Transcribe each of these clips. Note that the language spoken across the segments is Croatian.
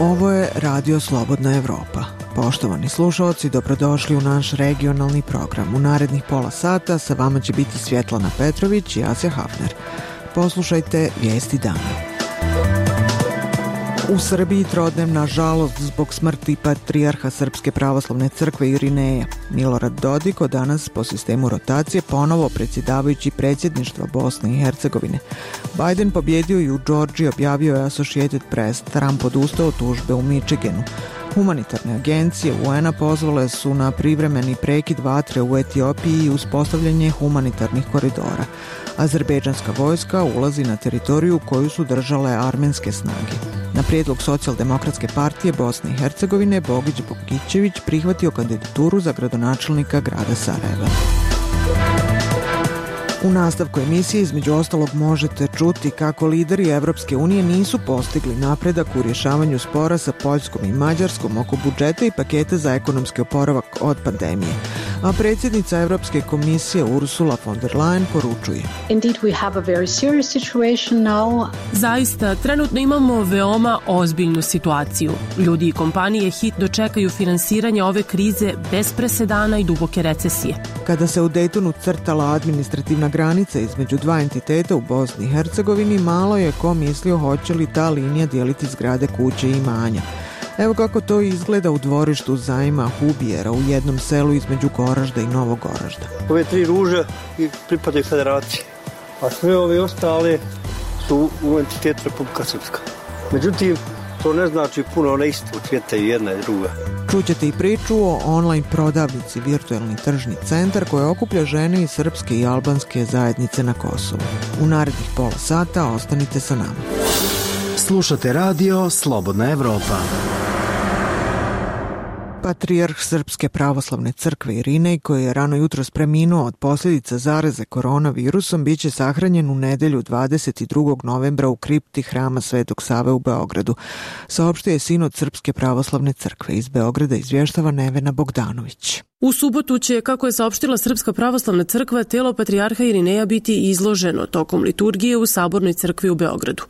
Ovo je Radio Slobodna Evropa. Poštovani slušalci, dobrodošli u naš regionalni program. U narednih pola sata sa vama će biti Svjetlana Petrović i Asja Hafner. Poslušajte vijesti dana. U Srbiji trodnevna žalost zbog smrti patrijarha Srpske pravoslavne crkve Irineja. Milorad Dodik od danas po sistemu rotacije ponovo predsjedavajući predsjedništva Bosne i Hercegovine. Biden pobjedio i u Georgiji, objavio je Associated Press. Trump odustao od tužbe u Michiganu. Humanitarne agencije UN-a pozvale su na privremeni prekid vatre u Etiopiji i uspostavljanje humanitarnih koridora. Azerbejdžanska vojska ulazi na teritoriju koju su držale armenske snage. Na prijedlog Socijaldemokratske partije Bosne i Hercegovine Bogić Bogićević prihvatio kandidaturu za gradonačelnika grada Sarajeva. U nastavku emisije između ostalog možete čuti kako lideri Evropske unije nisu postigli napredak u rješavanju spora sa Poljskom i Mađarskom oko budžeta i paketa za ekonomski oporavak od pandemije. A predsjednica Evropske komisije Ursula von der Leyen poručuje: Zaista, trenutno imamo veoma ozbiljnu situaciju. Ljudi i kompanije hitno čekaju finansiranje ove krize bez presedana i duboke recesije. Kada se u Daytonu crtala administrativna granica između dva entiteta u Bosni i Hercegovini, malo je ko mislio hoće li ta linija dijeliti zgrade, kuće i imanja. Evo kako to izgleda u dvorištu Zajma Hubijera u jednom selu između Goražda i Novog Goražda. Ove tri ruže pripadaju federaciji, a sve ove ostale su u entitetu Republika Srpska. Međutim, to ne znači puno, one isto cvjetaju jedna i druga. Čućete i priču o online prodavnici Virtualni tržni centar koja okuplja žene iz srpske i albanske zajednice na Kosovu. U narednih pola sata ostanite sa nama. Slušate Radio Slobodna Evropa. Patrijarh Srpske pravoslavne crkve Irinej, koji je rano jutros preminuo od posljedica zaraze koronavirusom, bit će sahranjen u nedjelju 22. novembra u kripti Hrama Svetog Save u Beogradu. Saopštio je sinod Srpske pravoslavne crkve. Iz Beograda izvještava Nevena Bogdanović. U subotu će, kako je saopštila Srpska pravoslavna crkva, telo patrijarha Irineja biti izloženo tokom liturgije u Sabornoj crkvi u Beogradu.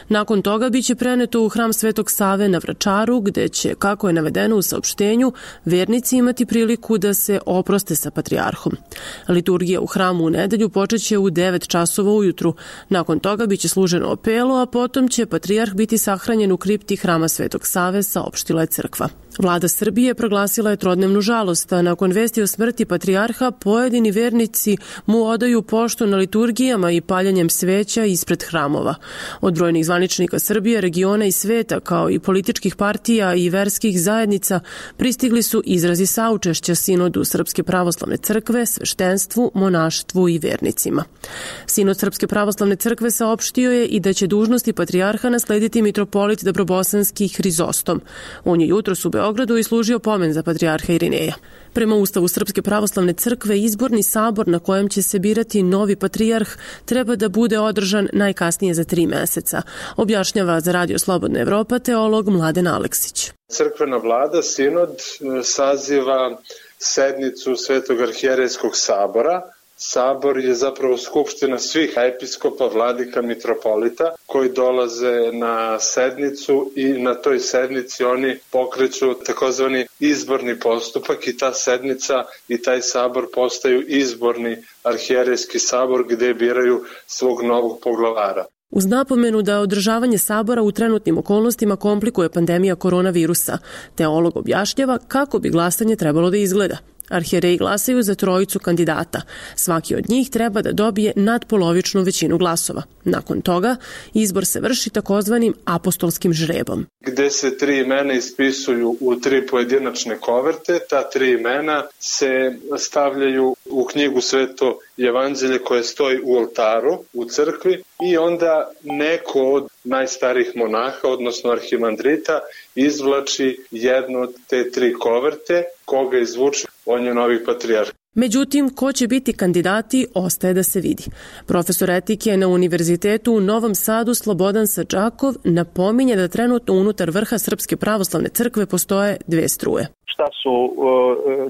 Nakon toga biće preneto u Hram Svetog Save na Vračaru, gde će, kako je navedeno u saopštenju, vernici imati priliku da se oproste sa patrijarhom. Liturgija u hramu u nedelju počeće u 9 časova ujutru. Nakon toga biće služeno opelo, a potom će patrijarh biti sahranjen u kripti Hrama Svetog Save, saopštila je crkva. Vlada Srbije proglasila je trodnevnu žalost, a nakon vesti o smrti patrijarha pojedini vernici mu odaju poštu na liturgijama i paljenjem sveća ispred hramova. Od brojnih zvaničnika Srbije, regiona i sveta, kao i političkih partija i verskih zajednica, pristigli su izrazi saučešća sinodu Srpske pravoslavne crkve, sveštenstvu, monaštvu i vernicima. Sinod Srpske pravoslavne crkve saopštio je i da će dužnosti patrijarha naslediti mitropolit Dobrobosanski Hrizostom. On je jutros u Beogradu i služio pomen za patrijarha Irineja. Prema Ustavu Srpske pravoslavne crkve, izborni sabor na kojem će se birati novi patrijarh treba da bude održan najkasnije za 3 mjeseca, objašnjava za Radio Slobodna Evropa teolog Mladen Aleksić. Crkvena vlada, sinod, saziva sednicu Svetog arhijerejskog sabora. Sabor je zapravo skupština svih episkopa, vladika, mitropolita koji dolaze na sednicu i na toj sednici oni pokreću takozvani izborni postupak i ta sednica i taj sabor postaju izborni arhijerejski sabor gdje biraju svog novog poglavara. Uz napomenu da održavanje sabora u trenutnim okolnostima komplikuje pandemija koronavirusa, teolog objašnjava kako bi glasanje trebalo da izgleda. Arhijereji glasaju za 3 kandidata. Svaki od njih treba da dobije nadpolovičnu većinu glasova. Nakon toga, izbor se vrši takozvanim apostolskim žrebom. Gde se 3 imena ispisuju u 3 pojedinačne koverte, ta 3 imena se stavljaju u knjigu Sveto Evanđelje koje stoji u oltaru u crkvi i onda neko od najstarijih monaha, odnosno arhimandrita, izvlači jednu od te 3 koverte, koga izvuče, on je novi patrijarh. Međutim, ko će biti kandidati, ostaje da se vidi. Profesor etike na Univerzitetu u Novom Sadu Slobodan Sadžakov napominje da trenutno unutar vrha Srpske pravoslavne crkve postoje 2 struje. Šta su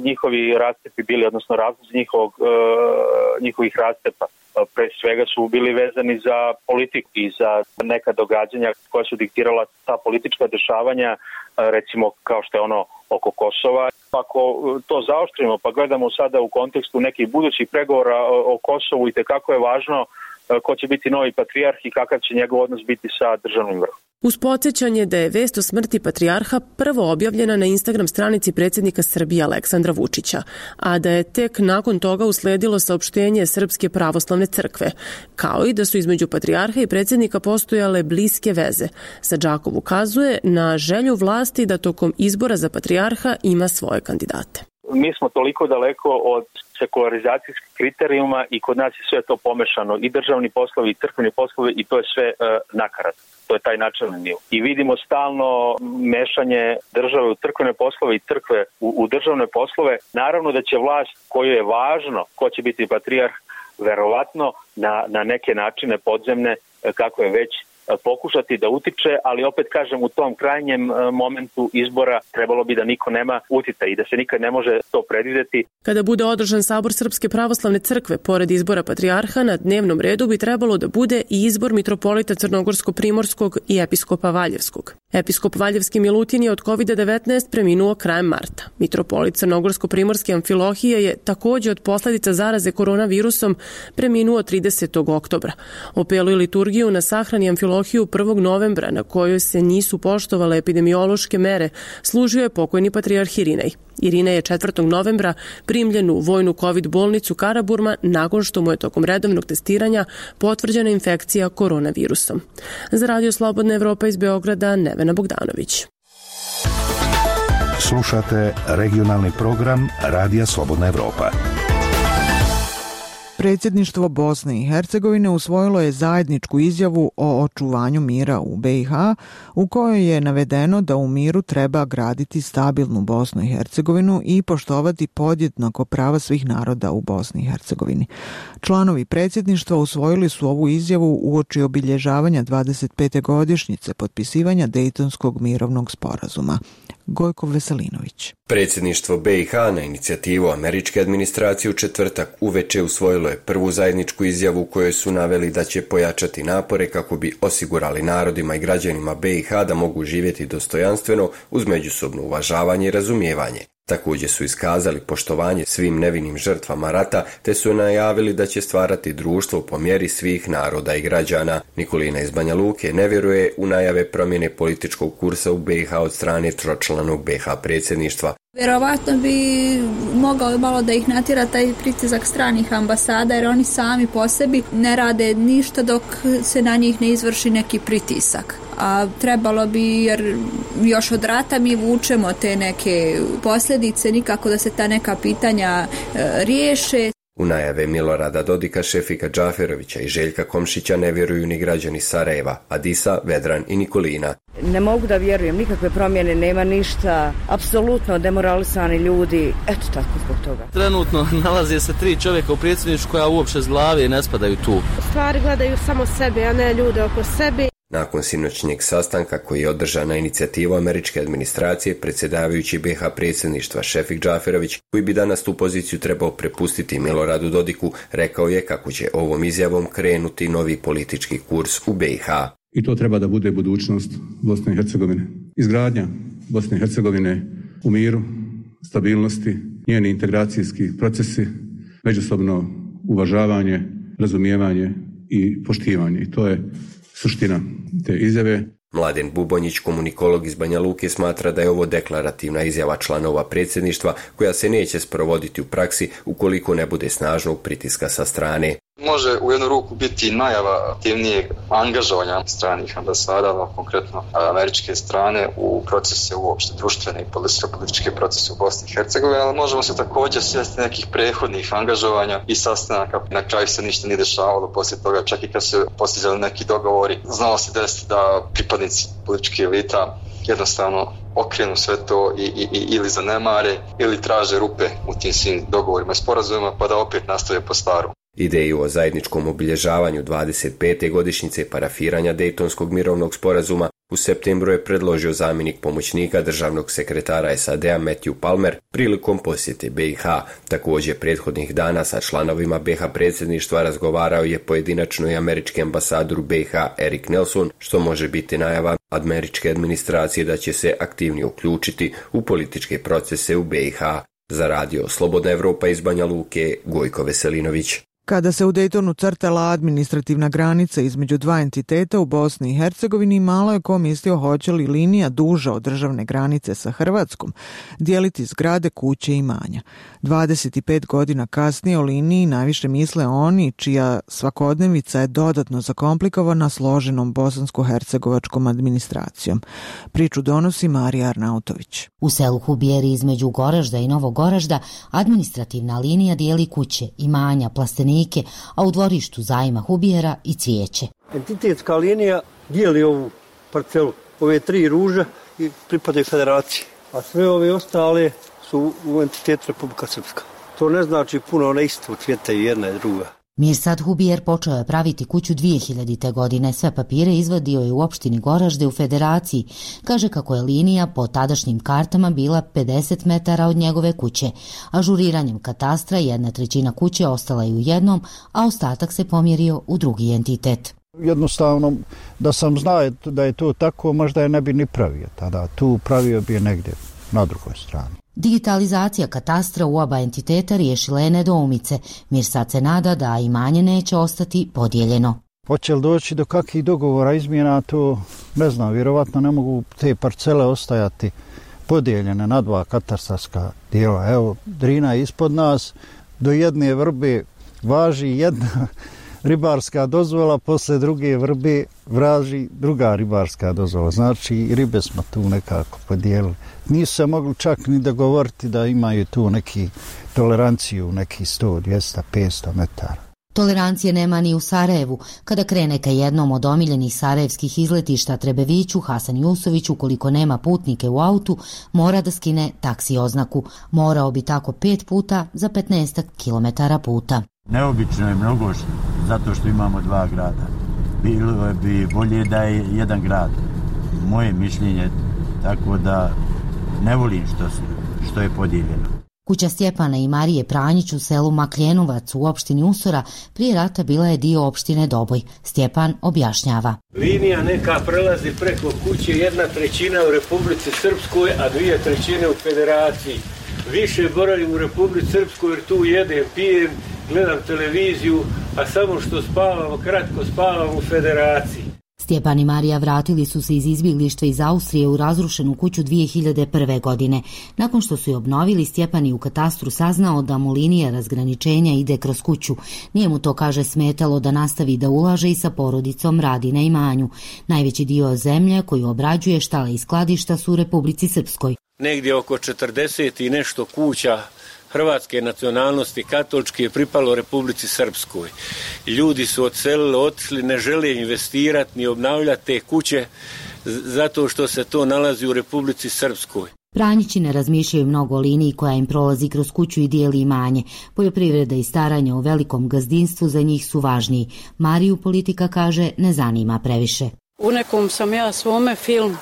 njihovi rascepi bili, odnosno razlozi njihovih rascepa? pre svega su bili vezani za politiku i za neka događanja koja su diktirala ta politička dešavanja, recimo kao što je ono oko Kosova. Ako to zaoštrimo pa gledamo sada u kontekstu nekih budućih pregovora o Kosovu, i tekako je važno ko će biti novi patrijarh i kakav će njegov odnos biti sa državnim vrhom. Uz podsjećanje da je vest o smrti patrijarha prvo objavljena na Instagram stranici predsjednika Srbije Aleksandra Vučića, a da je tek nakon toga usledilo saopštenje Srpske pravoslavne crkve, kao i da su između patrijarha i predsjednika postojale bliske veze. Sadžakov ukazuje na želju vlasti da tokom izbora za patrijarha ima svoje kandidate. Mi smo toliko daleko od sekularizacijskih kriterijuma i kod nas je sve to pomešano, i državni poslovi i crkveni poslovi, i to je sve nakarat. To je taj načelni nivo. I vidimo stalno mešanje države u crkvene poslove i crkve u državne poslove. Naravno da će vlast, koju je važno ko će biti patrijarh, verovatno na neke načine podzemne, kako je već, pokušati da utiče, ali opet kažem, u tom krajnjem momentu izbora trebalo bi da niko nema uticaj i da se nikad ne može to predvideti. Kada bude održan sabor Srpske pravoslavne crkve, pored izbora patrijarha, na dnevnom redu bi trebalo da bude i izbor mitropolita Crnogorsko-Primorskog i episkopa Valjevskog. Episkop Valjevski Milutin je od COVID-19 preminuo krajem marta. Mitropolit Crnogorsko-Primorske Amfilohije je također od posljedica zaraze koronavirusom preminuo 30. oktobra. Opelu i liturgiju na sahrani Amfilohiju 1. novembra, na kojoj se nisu poštovale epidemiološke mere, služio je pokojni patrijarh Irinej. Irinej je 4. novembra primljen u vojnu COVID bolnicu Karaburma nakon što mu je tokom redovnog testiranja potvrđena infekcija koronavirusom. Za Radio Slobodna Evropa iz Beograda, Nevena Bogdanović. Slušate regionalni program Radija Slobodna Evropa. Predsjedništvo Bosne i Hercegovine usvojilo je zajedničku izjavu o očuvanju mira u BiH, u kojoj je navedeno da u miru treba graditi stabilnu Bosnu i Hercegovinu i poštovati podjednako prava svih naroda u Bosni i Hercegovini. Članovi predsjedništva usvojili su ovu izjavu uoči obilježavanja 25. godišnjice potpisivanja Dejtonskog mirovnog sporazuma. Gojko Veselinović. Predsjedništvo BiH na inicijativu američke administracije u četvrtak uveče usvojilo je prvu zajedničku izjavu u kojoj su naveli da će pojačati napore kako bi osigurali narodima i građanima BiH da mogu živjeti dostojanstveno uz međusobno uvažavanje i razumijevanje. Također su iskazali poštovanje svim nevinim žrtvama rata, te su najavili da će stvarati društvo po mjeri svih naroda i građana. Nikolina iz Banja Luke ne vjeruje u najave promjene političkog kursa u BiH od strane tročlanog BiH predsjedništva. Vjerovatno bi mogao malo da ih natjera taj pritisak stranih ambasada, jer oni sami po sebi ne rade ništa dok se na njih ne izvrši neki pritisak. A trebalo bi, jer još od rata mi vučemo te neke posljedice, nikako da se ta neka pitanja riješe. U najave Milorada Dodika, Šefika Džaferovića i Željka Komšića ne vjeruju ni građani Sarajeva, Adisa, Vedran i Nikolina. Ne mogu da vjerujem, nikakve promjene, nema ništa, apsolutno demoralisani ljudi, eto tako zbog toga. Trenutno nalaze se 3 čovjeka u predsjedništvu koja uopće s glave ne spadaju tu. Stvari gledaju samo sebe, a ne ljude oko sebe. Nakon sinoćnjeg sastanka koji je održan na inicijativu američke administracije, predsjedavajući BiH predsjedništva Šefik Džaferović, koji bi danas tu poziciju trebao prepustiti Miloradu Dodiku, rekao je kako će ovom izjavom krenuti novi politički kurs u BiH. I to treba da bude budućnost Bosne i Hercegovine. Izgradnja Bosne i Hercegovine u miru, stabilnosti, njeni integracijski procesi, međusobno uvažavanje, razumijevanje i poštivanje. I to je suština te izjave. Mladen Bubonjić, komunikolog iz Banja Luke, smatra da je ovo deklarativna izjava članova predsjedništva koja se neće sprovoditi u praksi ukoliko ne bude snažnog pritiska sa strane. Može u jednu ruku biti najava aktivnijeg angažovanja stranih ambasada, konkretno američke strane, u procese uopšte društvene i političke procese u Bosni i Hercegovini, ali možemo se također sjesti nekih prethodnih angažovanja i sastanaka. Na kraju se ništa nije dešavalo poslije toga, čak i kad se postizali neki dogovori. Znalo se desiti da pripadnici političke elita jednostavno okrenu sve to ili zanemare ili traže rupe u tim svim dogovorima i sporazumima, pa da opet nastave po starom. Ideju o zajedničkom obilježavanju 25. godišnjice parafiranja Dejtonskog mirovnog sporazuma u septembru je predložio zamjenik pomoćnika državnog sekretara SAD-a Matthew Palmer prilikom posjete BiH. Također prethodnih dana sa članovima BiH predsjedništva razgovarao je pojedinačno i američki ambasador u BiH Erik Nelson, što može biti najava američke administracije da će se aktivnije uključiti u političke procese u BiH. Za radio Slobodna Evropa iz Banja Luke, Gojko Veselinović. Kada se u Daytonu crtala administrativna granica između dva entiteta u Bosni i Hercegovini, malo je ko mislio hoće li linija duža od državne granice sa Hrvatskom dijeliti zgrade, kuće i imanja. 25 godina kasnije o liniji najviše misle oni čija svakodnevica je dodatno zakomplikovana složenom bosansko-hercegovačkom administracijom. Priču donosi Marija Arnautović. U selu Hubijeri između Goražda i Novog Goražda administrativna linija dijeli kuće, imanja, plastenike, a u dvorištu zajma Hubijera i cvijeće. Entitetska linija dijeli ovu parcelu, ove 3 ruže i pripadaju federaciji, a sve ove ostale su u entitetu Republika Srpska. To ne znači puno, ne isto cvjetaju jedna i druga. Mirsad Hubijer počeo je praviti kuću 2000. godine. Sve papire izvadio je u opštini Goražde u federaciji. Kaže kako je linija po tadašnjim kartama bila 50 metara od njegove kuće. Ažuriranjem katastra 1/3 kuće ostala je u jednom, a ostatak se pomjerio u drugi entitet. Jednostavno, da sam znao da je to tako, možda je ne bi ni pravio tada. Tu pravio bi je negdje na drugoj strani. Digitalizacija katastra u oba entiteta riješila je nedoumice. Mirsad se nada da imanje neće ostati podijeljeno. Hoće li doći do kakvih dogovora izmjena, to ne znam, vjerovatno ne mogu te parcele ostajati podijeljene na 2 katastarska dijela. Evo, Drina je ispod nas, do jedne vrbe važi jedna ribarska dozvola, posle druge vrbe vraži druga ribarska dozvola. Znači, ribe smo tu nekako podijelili. Nisu se mogli čak ni dogovoriti da imaju tu neki toleranciju, neki 100, 200, 500 metara. Tolerancije nema ni u Sarajevu. Kada krene ka jednom od omiljenih sarajevskih izletišta Trebeviću, Hasan Jusović, ukoliko nema putnike u autu, mora da skine taksi oznaku. Morao bi tako 5 puta za 15 kilometara puta. Neobično je mnogo zato što imamo 2 grada. Bilo bi bolje da je jedan grad. Moje mišljenje, tako da ne volim što je podijeljeno. Kuća Stjepana i Marije Pranjić u selu Makljenovac u opštini Usora prije rata bila je dio opštine Doboj. Stjepan objašnjava. Linija neka prelazi preko kuće 1/3 u Republici Srpskoj, a 2/3 u Federaciji. Više boravim u Republici Srpskoj jer tu jedem, pijem, gledam televiziju, a samo što spavamo, kratko spavam u Federaciji. Stjepan i Marija vratili su se iz izbjeglištva iz Austrije u razrušenu kuću 2001. godine. Nakon što su je obnovili, Stjepan je u katastru saznao da mu linija razgraničenja ide kroz kuću. Nije mu to, kaže, smetalo da nastavi da ulaže i sa porodicom radi na imanju. Najveći dio zemlje koju obrađuje, štale i skladišta su u Republici Srpskoj. Negdje oko 40 i nešto kuća hrvatske nacionalnosti katoličke je pripalo Republici Srpskoj. Ljudi su odselili, otišli, ne žele investirati ni obnavljati te kuće zato što se to nalazi u Republici Srpskoj. Pranjići ne razmišljaju mnogo o liniji koja im prolazi kroz kuću i dijeli imanje. Poljoprivreda i staranje o velikom gazdinstvu za njih su važniji. Mariju politika, kaže, ne zanima previše. U nekom sam ja svome filmu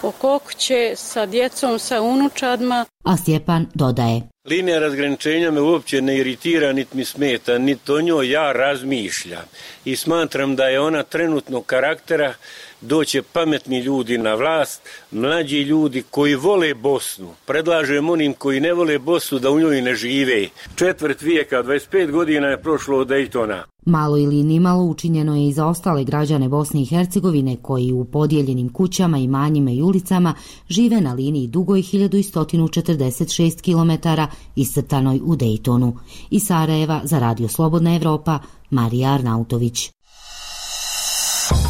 oko kuće sa djecom, sa unučadima. A Stjepan dodaje. Linija razgraničenja me uopće ne iritira, niti mi smeta, niti o njoj ja razmišljam. I smatram da je ona trenutnog karaktera, doće pametni ljudi na vlast, mlađi ljudi koji vole Bosnu. Predlažem onim koji ne vole Bosnu da u njoj ne žive. 1/4 vijeka, 25 godina je prošlo od Daytona. Malo ili nimalo učinjeno je i za ostale građane Bosne i Hercegovine koji u podijeljenim kućama, imanjima i ulicama žive na liniji dugoj 1146 km iscrtanoj u Daytonu. Iz Sarajeva za Radio Slobodna Evropa, Marija Arnautović.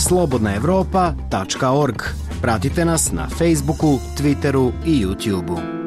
slobodnaevropa.org. Pratite nas na Facebooku, Twitteru i YouTubeu.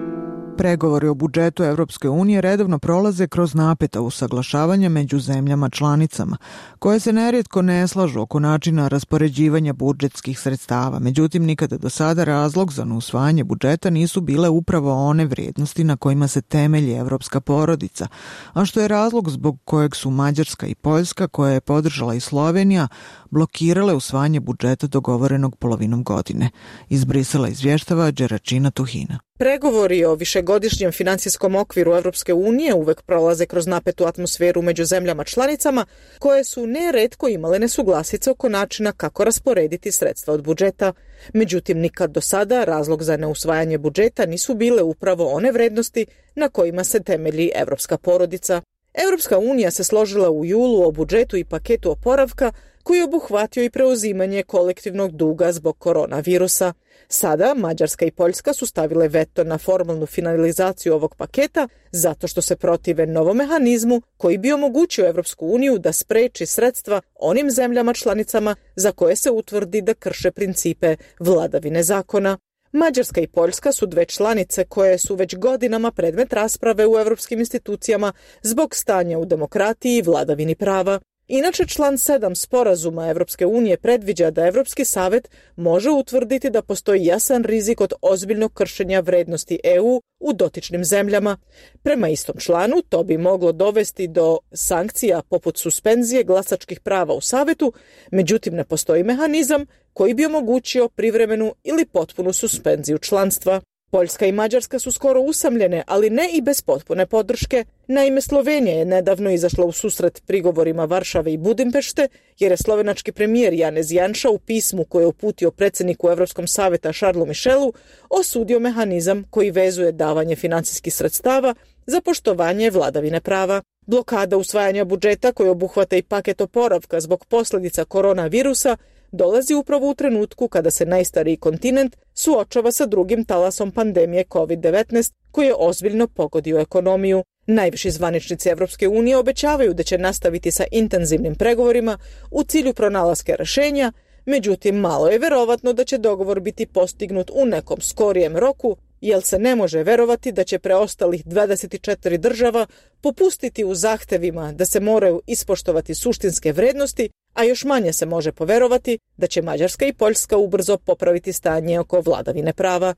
Pregovori o budžetu Evropske unije redovno prolaze kroz napeta usaglašavanja među zemljama članicama, koje se nerijetko ne slažu oko načina raspoređivanja budžetskih sredstava. Međutim, nikada do sada razlog za neusvajanje budžeta nisu bile upravo one vrijednosti na kojima se temelji evropska porodica, a što je razlog zbog kojeg su Mađarska i Poljska, koje je podržala i Slovenija, blokirale usvajanje budžeta dogovorenog polovinom godine. Iz Brisela izvještava Đeračina Tuhina. Pregovori o višegodišnjem financijskom okviru Evropske unije uvek prolaze kroz napetu atmosferu među zemljama članicama, koje su neretko imale nesuglasice oko načina kako rasporediti sredstva od budžeta. Međutim, nikad do sada razlog za neusvajanje budžeta nisu bile upravo one vrednosti na kojima se temelji evropska porodica. Evropska unija se složila u julu o budžetu i paketu oporavka koji je obuhvatio i preuzimanje kolektivnog duga zbog koronavirusa. Sada Mađarska i Poljska su stavile veto na formalnu finalizaciju ovog paketa zato što se protive novom mehanizmu koji bi omogućio Evropsku uniju da spreči sredstva onim zemljama članicama za koje se utvrdi da krše principe vladavine zakona. Mađarska i Poljska su dve članice koje su već godinama predmet rasprave u evropskim institucijama zbog stanja u demokratiji i vladavini prava. Inače, član 7 sporazuma Evropske unije predviđa da Evropski savet može utvrditi da postoji jasan rizik od ozbiljnog kršenja vrednosti EU u dotičnim zemljama. Prema istom članu, to bi moglo dovesti do sankcija poput suspenzije glasačkih prava u savetu, međutim ne postoji mehanizam koji bi omogućio privremenu ili potpunu suspenziju članstva. Poljska i Mađarska su skoro usamljene, ali ne i bez potpune podrške. Naime, Slovenija je nedavno izašla u susret prigovorima Varšave i Budimpešte, jer je slovenački premijer Janez Janša u pismu koje je uputio predsjedniku Evropskom saveta Charlesu Michelu osudio mehanizam koji vezuje davanje financijskih sredstava za poštovanje vladavine prava. Blokada usvajanja budžeta koji obuhvata i paket oporavka zbog posljedica koronavirusa dolazi upravo u trenutku kada se najstariji kontinent suočava sa drugim talasom pandemije COVID-19 koji je ozbiljno pogodio ekonomiju. Najviši zvaničnici Evropske unije obećavaju da će nastaviti sa intenzivnim pregovorima u cilju pronalaska rješenja, međutim malo je verovatno da će dogovor biti postignut u nekom skorijem roku, jer se ne može verovati da će preostalih 24 država popustiti u zahtevima da se moraju ispoštovati suštinske vrednosti, a još manje se može poverovati da će Mađarska i Poljska ubrzo popraviti stanje oko vladavine prava.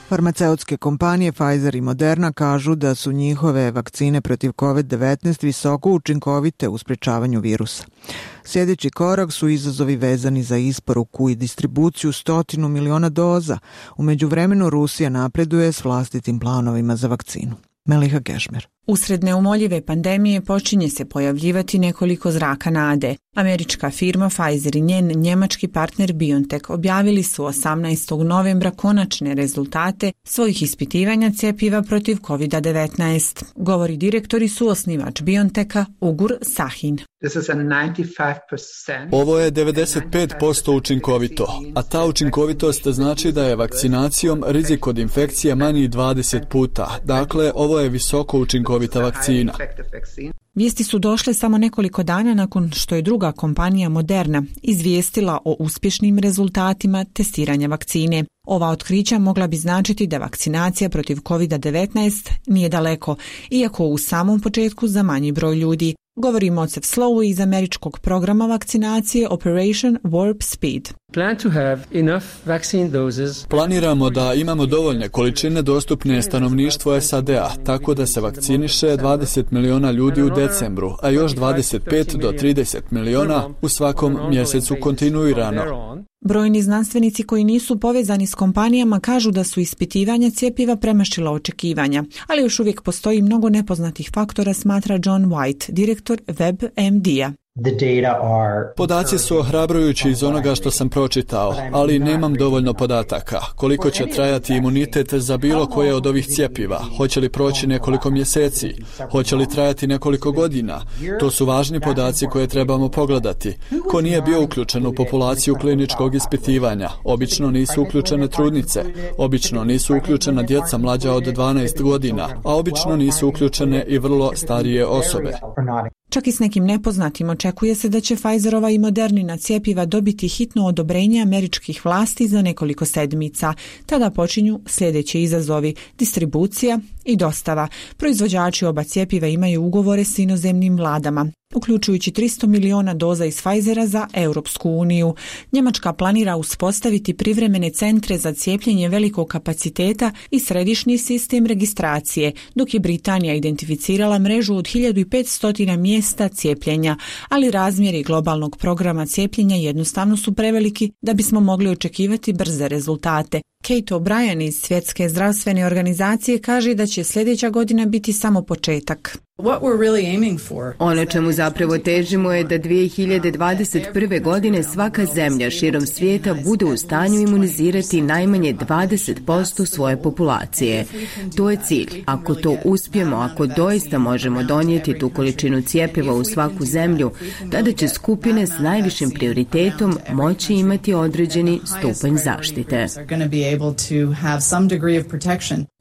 Farmaceutske kompanije Pfizer i Moderna kažu da su njihove vakcine protiv COVID-19 visoko učinkovite u sprečavanju virusa. Sljedeći korak su izazovi vezani za isporuku i distribuciju 100 miliona doza. U međuvremenu Rusija napreduje s vlastitim planovima za vakcinu. Meliha Gešmer. Usred neumoljive pandemije počinje se pojavljivati nekoliko zraka nade. Američka firma Pfizer i njen njemački partner BioNTech objavili su 18. novembra konačne rezultate svojih ispitivanja cjepiva protiv COVID-19. Govori direktor i suosnivač BioNTecha Ugur Sahin. Ovo je 95% učinkovito, a ta učinkovitost znači da je vakcinacijom rizik od infekcije manji 20 puta. Dakle, ovo je visoko učinkovita vakcina. Vijesti su došle samo nekoliko dana nakon što je druga kompanija Moderna izvijestila o uspješnim rezultatima testiranja vakcine. Ova otkrića mogla bi značiti da vakcinacija protiv COVID-19 nije daleko, iako u samom početku za manji broj ljudi. Govori Mocev Slowu iz američkog programa vakcinacije Operation Warp Speed. Planiramo da imamo dovoljne količine dostupne stanovništvu SAD-a, tako da se vakciniše 20 miliona ljudi u decembru, a još 25 do 30 miliona u svakom mjesecu kontinuirano. Brojni znanstvenici koji nisu povezani s kompanijama kažu da su ispitivanja cjepiva premašila očekivanja, ali još uvijek postoji mnogo nepoznatih faktora, smatra John White, direktor WebMD-a. Podaci su ohrabrujući iz onoga što sam pročitao, ali nemam dovoljno podataka. Koliko će trajati imunitet za bilo koje od ovih cjepiva? Hoće li proći nekoliko mjeseci? Hoće li trajati nekoliko godina? To su važni podaci koje trebamo pogledati. Ko nije bio uključen u populaciju kliničkog ispitivanja? Obično nisu uključene trudnice. Obično nisu uključena djeca mlađa od 12 godina, a obično nisu uključene i vrlo starije osobe. Čak i s nekim nepoznatim očekuje se da će Pfizerova i Modernina cjepiva dobiti hitno odobrenje američkih vlasti za nekoliko sedmica. Tada počinju sljedeći izazovi: distribucija i dostava. Proizvođači oba cjepiva imaju ugovore s inozemnim vladama. uključujući 300 miliona doza iz Pfizera za Europsku uniju. Njemačka planira uspostaviti privremene centre za cijepljenje velikog kapaciteta i središnji sistem registracije, dok je Britanija identificirala mrežu od 1500 mjesta cijepljenja, ali razmjeri globalnog programa cijepljenja jednostavno su preveliki da bismo mogli očekivati brze rezultate. Kate O'Brien iz Svjetske zdravstvene organizacije kaže da će sljedeća godina biti samo početak. Ono čemu zapravo težimo je da 2021. godine svaka zemlja širom svijeta bude u stanju imunizirati najmanje 20% svoje populacije. To je cilj. Ako to uspijemo, ako doista možemo donijeti tu količinu cjepiva u svaku zemlju, tada će skupine s najvišim prioritetom moći imati određeni stupanj zaštite.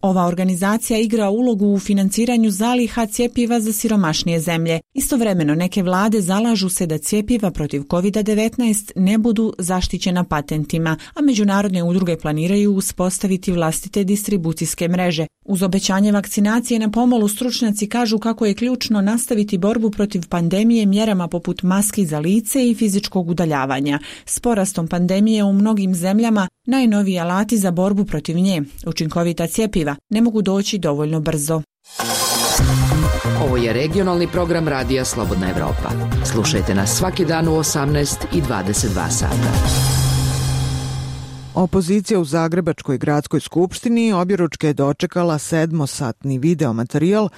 Ova organizacija igra ulogu u financiranju zaliha cjepiva za siromašnije zemlje. Istovremeno neke vlade zalažu se da cjepiva protiv COVID-19 ne budu zaštićena patentima, a međunarodne udruge planiraju uspostaviti vlastite distribucijske mreže. Uz obećanje vakcinacije na pomolu stručnjaci kažu kako je ključno nastaviti borbu protiv pandemije mjerama poput maski za lice i fizičkog udaljavanja. S porastom pandemije u mnogim zemljama najnoviji alati za borbu protiv nje, učinkovita cjepiva, ne mogu doći dovoljno brzo. Ovo je regionalni program Radija Slobodna Evropa. Slušajte nas svaki dan u 18 i 22 sata. Opozicija u Zagrebačkoj gradskoj skupštini objeručke je dočekala 7-satni videomaterijal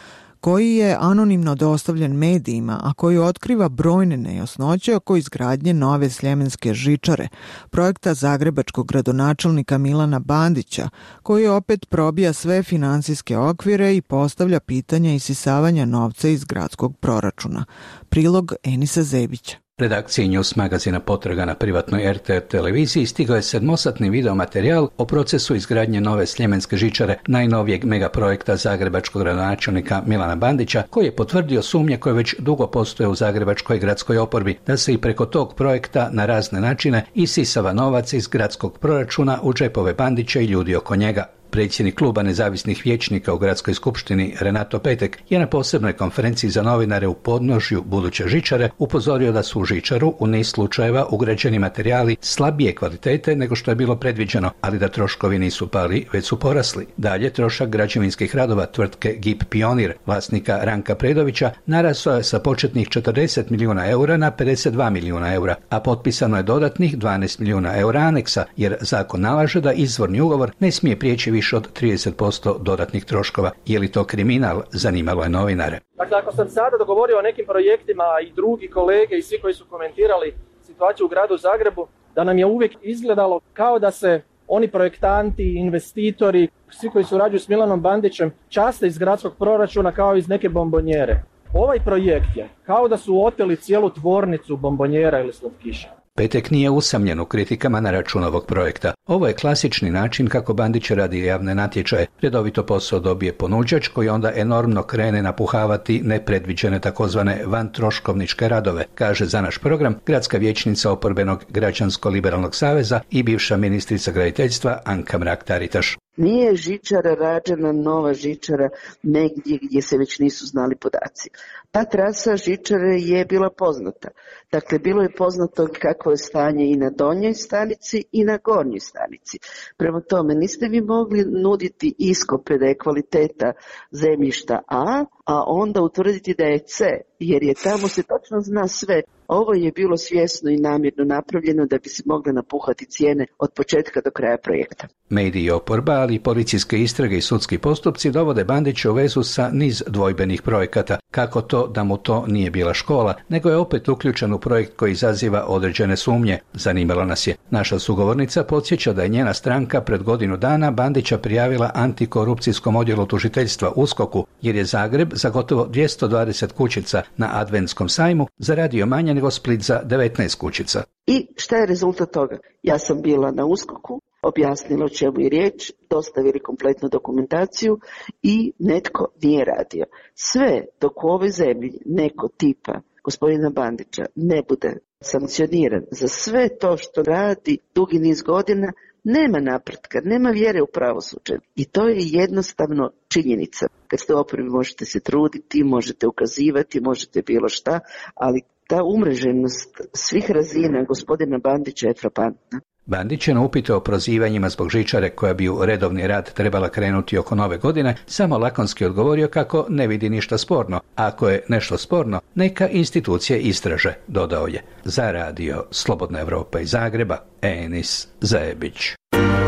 koji je anonimno dostavljen medijima, a koji otkriva brojne nejasnoće oko izgradnje nove sljemenske žičare, projekta zagrebačkog gradonačelnika Milana Bandića, koji opet probija sve financijske okvire i postavlja pitanja isisavanja novca iz gradskog proračuna. Prilog Enisa Zebića. Redakciji News magazina Potraga na privatnoj RTR televiziji stigao je 7-satni videomaterijal o procesu izgradnje nove sljemenske žičare, najnovijeg megaprojekta zagrebačkog gradonačelnika Milana Bandića, koji je potvrdio sumnje koje već dugo postoje u zagrebačkoj gradskoj oporbi, da se i preko tog projekta na razne načine isisava novac iz gradskog proračuna u džepove Bandića i ljudi oko njega. Predsjednik kluba nezavisnih vijećnika u gradskoj skupštini Renato Petek je na posebnoj konferenciji za novinare u podnožju buduće žičare upozorio da su u žičaru u niz slučajeva ugrađeni materijali slabije kvalitete nego što je bilo predviđeno, ali da troškovi nisu pali, već su porasli. Dalje, trošak građevinskih radova tvrtke GIP Pionir, vlasnika Ranka Predovića, narasao je sa početnih 40 milijuna eura na 52 milijuna eura, a potpisano je dodatnih 12 milijuna eura aneksa, jer zakon nalaže da izvorni ugovor ne smije prijeći više od 30% dodatnih troškova. Je li to kriminal? Zanimalo je novinare. Dakle, ako sam sada dogovorio o nekim projektima i drugi kolege i svi koji su komentirali situaciju u gradu Zagrebu, da nam je uvijek izgledalo kao da se oni projektanti, investitori, svi koji surađuju s Milanom Bandićem časte iz gradskog proračuna kao iz neke bombonjere. Ovaj projekt je kao da su oteli cijelu tvornicu bombonjera ili slatkiša. Petek nije usamljen u kritikama na račun ovog projekta. Ovo je klasični način kako Bandić radi javne natječaje. Redovito posao dobije ponuđač koji onda enormno krene napuhavati nepredviđene takozvane vantroškovničke radove, kaže za naš program gradska vijećnica oporbenog Građansko-liberalnog saveza i bivša ministrica graditeljstva Anka Mrak-Taritaš. Nije žičara rađena, nova žičara, negdje gdje se već nisu znali podaci. Ta trasa žičare je bila poznata. Dakle, bilo je poznato kakvo je stanje i na donjoj stanici i na gornjoj stanici. Prema tome, niste vi mogli nuditi iskope da je kvaliteta zemljišta a onda utvrditi da je C, jer je tamo se točno zna sve. Ovo je bilo svjesno i namjerno napravljeno da bi se mogle napuhati cijene od početka do kraja projekta. Mediji i oporba, ali i policijske istrage i sudski postupci dovode Bandića u vezu sa niz dvojbenih projekata. Kako to da mu to nije bila škola, nego je opet uključen u projekt koji izaziva određene sumnje. Zanimalo nas je. Naša sugovornica podsjeća da je njena stranka pred godinu dana Bandića prijavila antikorupcijskom odjelu tužiteljstva USKOK-u, jer je Zagreb za gotovo 220 kućica na Adventskom sajmu zaradio manje nego Split za 19 kućica. I šta je rezultat toga? Ja sam bila na USKOK-u, objasnila o čemu je riječ, dostavili kompletnu dokumentaciju i netko nije radio. Sve dok u ovoj zemlji neko tipa gospodina Bandića ne bude sankcioniran za sve to što radi dugi niz godina, nema napretka, nema vjere u pravosuđe. I to je jednostavno činjenica. Kad ste u oporbi možete se truditi, možete ukazivati, možete bilo šta, ali ta umreženost svih razina gospodina Bandića je frapantna. Bandić je na upite o prozivanjima zbog žičare koja bi u redovni rad trebala krenuti oko nove godine samo lakonski odgovorio kako ne vidi ništa sporno. Ako je nešto sporno, neka institucije istraže, dodao je. Za radio Slobodna Evropa iz Zagreba, Enis Zajebić.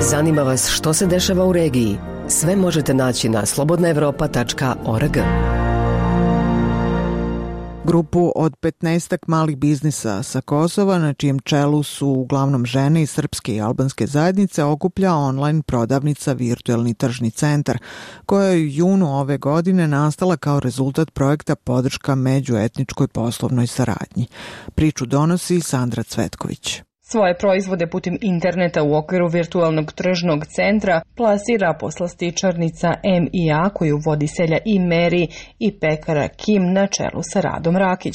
Zanima vas što se dešava u regiji? Sve možete naći na slobodnaevropa.org. Grupu od 15 malih biznisa sa Kosova, na čijem čelu su uglavnom žene iz srpske i albanske zajednice, okuplja online prodavnica Virtuelni tržni centar, koja je u junu ove godine nastala kao rezultat projekta podrška međuetničkoj poslovnoj saradnji. Priču donosi Sandra Cvetković. Svoje proizvode putem interneta u okviru virtualnog tržnog centra plasira poslastičarnica M&A koju vodi Selja i Meri i pekara Kim na čelu sa Radom Rakić.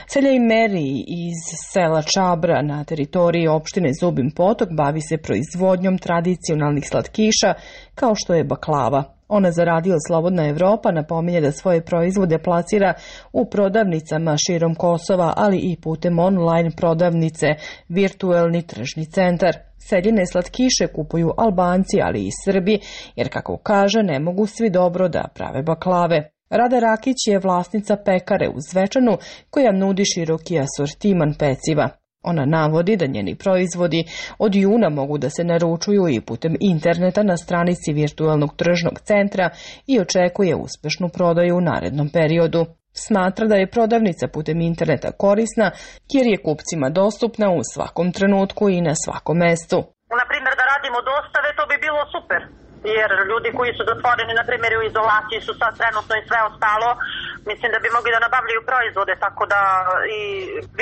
Selja i Meri iz sela Čabra na teritoriji opštine Zubin Potok bavi se proizvodnjom tradicionalnih slatkiša kao što je baklava. Ona za radio Slobodna Evropa napominje da svoje proizvode plasira u prodavnicama širom Kosova, ali i putem online prodavnice Virtuelni tržni centar. Seljine slatkiše kupuju Albanci, ali i Srbi, jer kako kaže ne mogu svi dobro da prave baklave. Rada Rakić je vlasnica pekare u Zvečanu koja nudi široki asortiman peciva. Ona navodi da njeni proizvodi od juna mogu da se naručuju i putem interneta na stranici Virtualnog tržnog centra i očekuje uspešnu prodaju u narednom periodu. Smatra da je prodavnica putem interneta korisna jer je kupcima dostupna u svakom trenutku i na svakom mestu. Na primjer da radimo dostave, to bi bilo super. Jer ljudi koji su zatvoreni, na primjer u izolaciji su sad trenutno i sve ostalo, mislim da bi mogli da nabavljaju proizvode, tako da i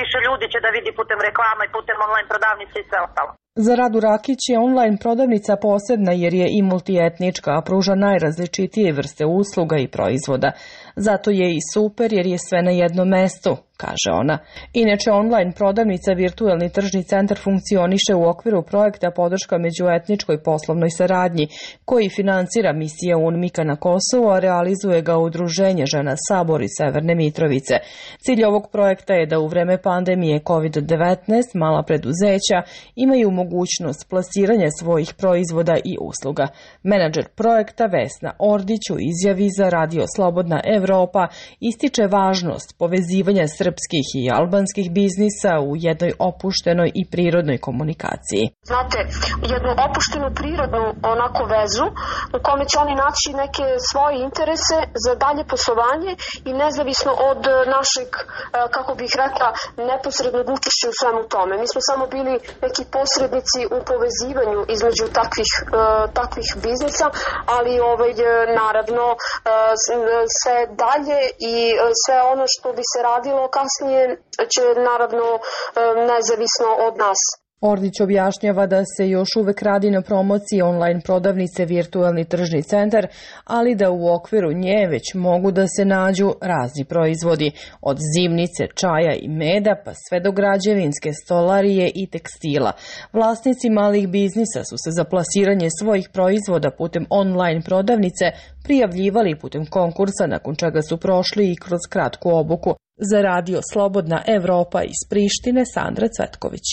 više ljudi će da vidi putem reklama i putem online prodavnice i sve ostalo. Za Radu Rakić je online prodavnica posebna jer je i multietnička, a pruža najrazličitije vrste usluga i proizvoda. Zato je i super jer je sve na jednom mestu, kaže ona. Inače, online prodavnica Virtuelni tržni centar funkcioniše u okviru projekta podrška međuetničkoj poslovnoj saradnji, koji finansira misija UNMIK-a na Kosovu, a realizuje ga Udruženje žena Sabor iz Severne Mitrovice. Cilj ovog projekta je da u vreme pandemije COVID-19 mala preduzeća imaju mogućnost plasiranja svojih proizvoda i usluga. Menadžer projekta Vesna Ordić u izjavi za radio Slobodna Evropa ističe važnost povezivanja srpskih i albanskih biznisa u jednoj opuštenoj i prirodnoj komunikaciji. Znate, jednu opuštenu prirodnu onako vezu u kome će oni naći neke svoje interese za dalje poslovanje i nezavisno od našeg, kako bih rekla, neposrednog učešća u svemu tome. Mi smo samo bili neki posrednici u povezivanju između takvih biznisa, ali naravno sve dalje i sve ono što bi se radilo kasnije će naravno nezavisno od nas. Ordić objašnjava da se još uvek radi na promociji online prodavnice Virtuelni tržni centar, ali da u okviru nje već mogu da se nađu razni proizvodi, od zimnice, čaja i meda pa sve do građevinske, stolarije i tekstila. Vlasnici malih biznisa su se za plasiranje svojih proizvoda putem online prodavnice prijavljivali putem konkursa, nakon čega su prošli i kroz kratku obuku. Za radio Slobodna Evropa iz Prištine, Sandra Cvetković.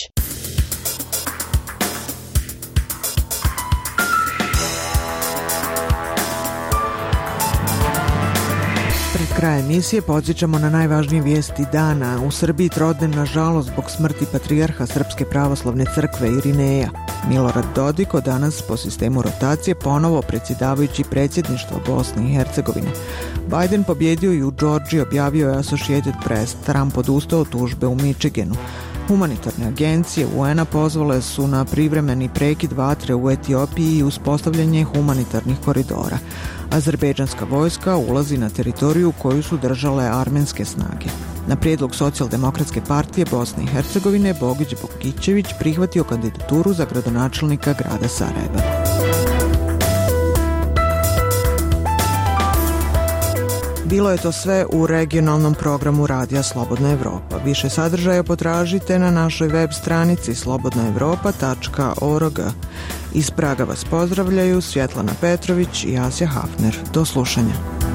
Kraj emisije podsjećamo na najvažnije vijesti dana. U Srbiji trodnevna žalost zbog smrti patrijarha Srpske pravoslavne crkve Irineja. Milorad Dodiko danas po sistemu rotacije ponovo predsjedavajući predsjedništva Bosne i Hercegovine. Biden pobjedio i u Georgiji, objavio je Associated Press. Trump odustao od tužbe u Michiganu. Humanitarne agencije UN-a pozvale su na privremeni prekid vatre u Etiopiji i uspostavljanje humanitarnih koridora. Azerbejdžanska vojska ulazi na teritoriju koju su držale armenske snage. Na prijedlog Socijaldemokratske partije Bosne i Hercegovine Bogić Bogićević prihvatio kandidaturu za gradonačelnika grada Sarajeva. Bilo je to sve u regionalnom programu Radija Slobodna Evropa. Više sadržaja potražite na našoj web stranici slobodnaevropa.org. Iz Praga vas pozdravljaju Svjetlana Petrović i Asja Hafner. Do slušanja.